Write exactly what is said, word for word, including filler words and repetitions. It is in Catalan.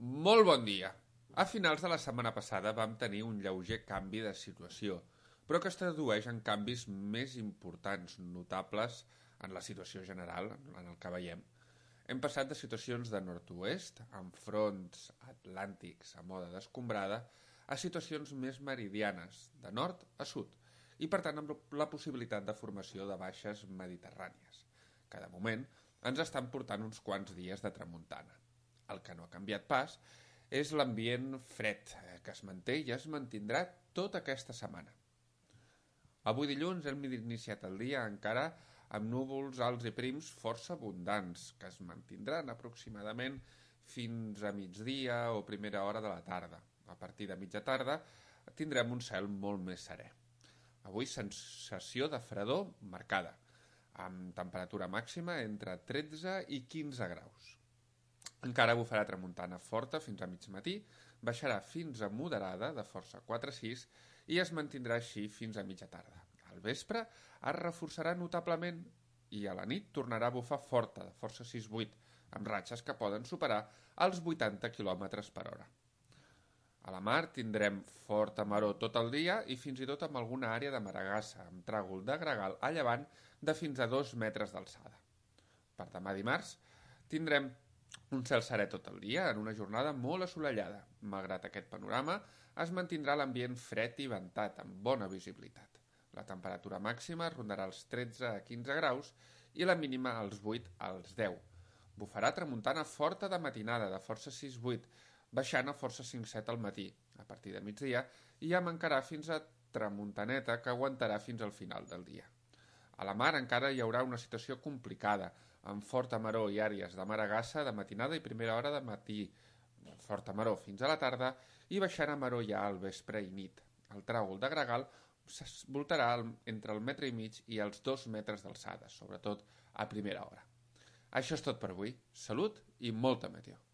Molt bon dia. A finals de la setmana passada vam tenir un lleuger canvi de situació, però que es tradueix en canvis més importants, notables en la situació general, en el que veiem. Hem passat de situacions de nord-oest, amb fronts atlàntics a moda d'escombrada, a situacions més meridianes, de nord a sud, i per tant amb la possibilitat de formació de baixes mediterrànies, que de moment ens estan portant uns quants dies de tramuntana. El que no ha canviat pas és l'ambient fred, que es manté i es mantindrà tota aquesta setmana. Avui dilluns hem iniciat el dia encara amb núvols alts i prims força abundants, que es mantindran aproximadament fins a migdia o primera hora de la tarda. A partir de mitja tarda tindrem un cel molt més serè. Avui sensació de fredor marcada, amb temperatura màxima entre tretze i quinze graus. Encara bufarà tramuntana forta fins a mig matí, baixarà fins a moderada de força quatre a sis i es mantindrà així fins a mitja tarda. Al vespre es reforçarà notablement i a la nit tornarà a bufar forta de força sis a vuit, amb ratxes que poden superar els vuitanta quilòmetres per hora. A la mar tindrem forta maror tot el dia i fins i tot amb alguna àrea de maragassa, amb tràgol de gregal a llevant de fins a dos metres d'alçada. Per demà dimarts tindrem un cel serè tot el dia en una jornada molt assolellada. Malgrat aquest panorama, es mantindrà l'ambient fred i ventat, amb bona visibilitat. La temperatura màxima rondarà els tretze a quinze graus i la mínima als vuit als deu. Bufarà tramuntana forta de matinada, de força sis a vuit, baixant a força cinc a set al matí. A partir de migdia ja mancarà fins a tramuntaneta que aguantarà fins al final del dia. A la mar encara hi haurà una situació complicada, amb forta maror i àrees de maragassa de matinada i primera hora de matí, forta maror fins a la tarda i baixant a maror ja al vespre i nit. El tràgol de gregal voltarà entre el metre i mig i els dos metres d'alçada, sobretot a primera hora. Això és tot per avui. Salut i molta meteo.